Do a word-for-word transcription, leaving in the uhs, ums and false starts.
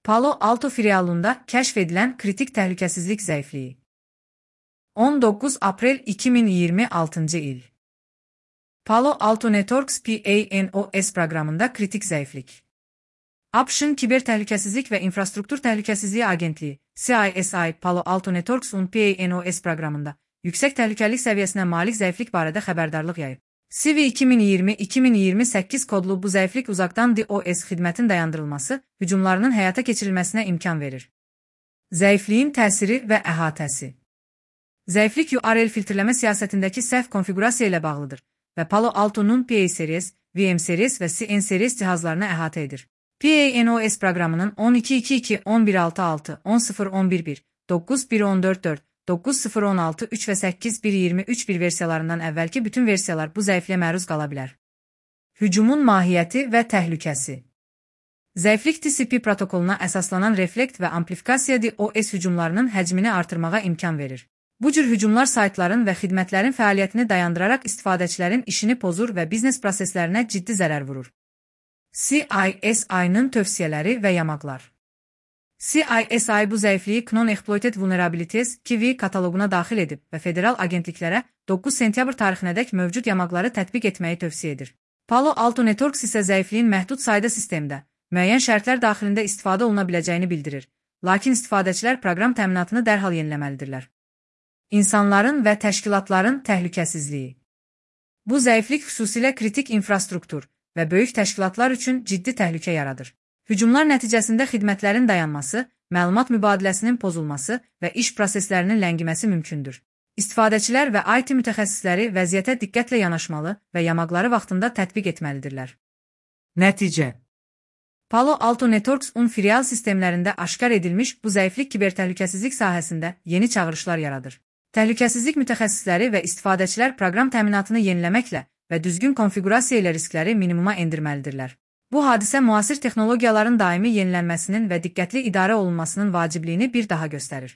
Palo Alto filialında kəşf edilən kritik təhlükəsizlik zəifliyi. on doqquz aprel iki min iyirmi altıncı il. Palo Alto Networks P A N O S proqramında kritik zəiflik. ABŞ-ın Kiber Təhlükəsizlik və İnfrastruktur Təhlükəsizliyi Agentliyi C I S I Palo Alto Networks'un P A N O S proqramında yüksək təhlükəlilik səviyyəsinə malik zəiflik barədə xəbərdarlıq yayıb. C V iki min iyirmi iki min iyirmi səkkiz kodlu bu zəiflik uzaqdan DOS xidmətin dayandırılması, hücumlarının həyata keçirilməsinə imkan verir. Zəifliyin təsiri və əhatəsi. Zəiflik U R L filtrləmə siyasətindəki səhv konfiqurasiya ilə bağlıdır və Palo Alto'nun P A Series, V M Series və C N Series cihazlarını əhatə edir. P A N O S proqramının on iki iki iki on bir altı altı on sıfır on bir bir doqquz bir on dörd dörd doqquz sıfır on altı üç və səkkiz bir iyirmi üç bir versiyalarından əvvəlki bütün versiyalar bu zəifliyə məruz qala bilər. Hücumun mahiyyəti və təhlükəsi. Zəiflik T C P protokoluna əsaslanan reflekt və amplifikasiya DOS hücumlarının həcmini artırmağa imkan verir. Bu cür hücumlar saytların və xidmətlərin fəaliyyətini dayandıraraq istifadəçilərin işini pozur və biznes proseslərinə ciddi zərər vurur. C I S I-nın tövsiyələri və yamaqlar. C I S I bu zəifliyi Non-Exploited Vulnerabilities K V kataloquna daxil edib və federal agentliklərə doqquz sentyabr tarixinədək mövcud yamaqları tətbiq etməyi tövsiyə edir. Palo Alto Networks isə zəifliyin məhdud sayda sistemdə, müəyyən şərtlər daxilində istifadə oluna biləcəyini bildirir, lakin istifadəçilər proqram təminatını dərhal yeniləməlidirlər. İnsanların və təşkilatların təhlükəsizliyi. Bu zəiflik xüsusilə kritik infrastruktur və böyük təşkilatlar üçün ciddi təhlükə yaradır. Hücumlar nəticəsində xidmətlərin dayanması, məlumat mübadiləsinin pozulması və iş proseslərinin ləngiməsi mümkündür. İstifadəçilər və I T mütəxəssisləri vəziyyətə diqqətlə yanaşmalı və yamaqları vaxtında tətbiq etməlidirlər. Nəticə. Palo Alto Networks'un filial sistemlərində aşkar edilmiş bu zəiflik kibertəhlükəsizlik sahəsində yeni çağırışlar yaradır. Təhlükəsizlik mütəxəssisləri və istifadəçilər proqram təminatını yeniləməklə və düzgün konfiqurasiya ilə riskləri minimuma endirməlidirlər. Bu hadisə müasir texnologiyaların daimi yenilənməsinin və diqqətli idarə olunmasının vacibliyini bir daha göstərir.